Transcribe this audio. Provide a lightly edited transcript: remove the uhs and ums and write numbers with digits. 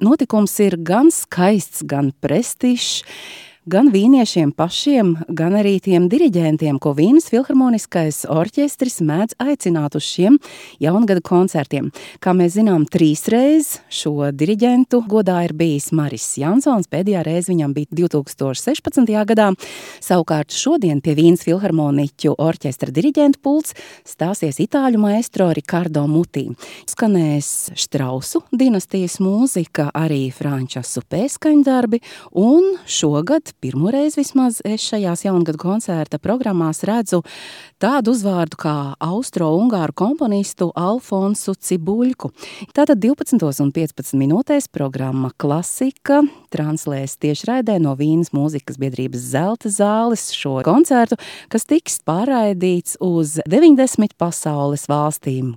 notikums ir gan skaists, gan prestižs, gan vīniešiem pašiem, gan arī tiem diriģentiem, ko Vīnes filharmoniskais orķestris mēdz aicināt uz šiem jaungada koncertiem. Kā mēs zinām, 3 reizes šo diriģentu godā ir bijis Maris Jansons, pēdējā reize viņam bija 2016. gadā. Savukārt šodien pie Vīnes filharmoniķu orķestra diriģentu pults stāsies itāļu maestro Ricardo Muti. Skanēs Štrausu dinastijas mūzika, arī Frančasu pēskaņdarbi, un šogad pirmoreiz vismaz es šajās jaungada koncerta programmās redzu tādu uzvārdu kā austro-ungāru komponistu Alfonsu Cibuļku. Tātad 12:15 programma Klasika translēs tiešraidē no Vīnes mūzikas biedrības Zelta zāles šo koncertu, kas tiks pārraidīts uz 90 pasaules valstīm.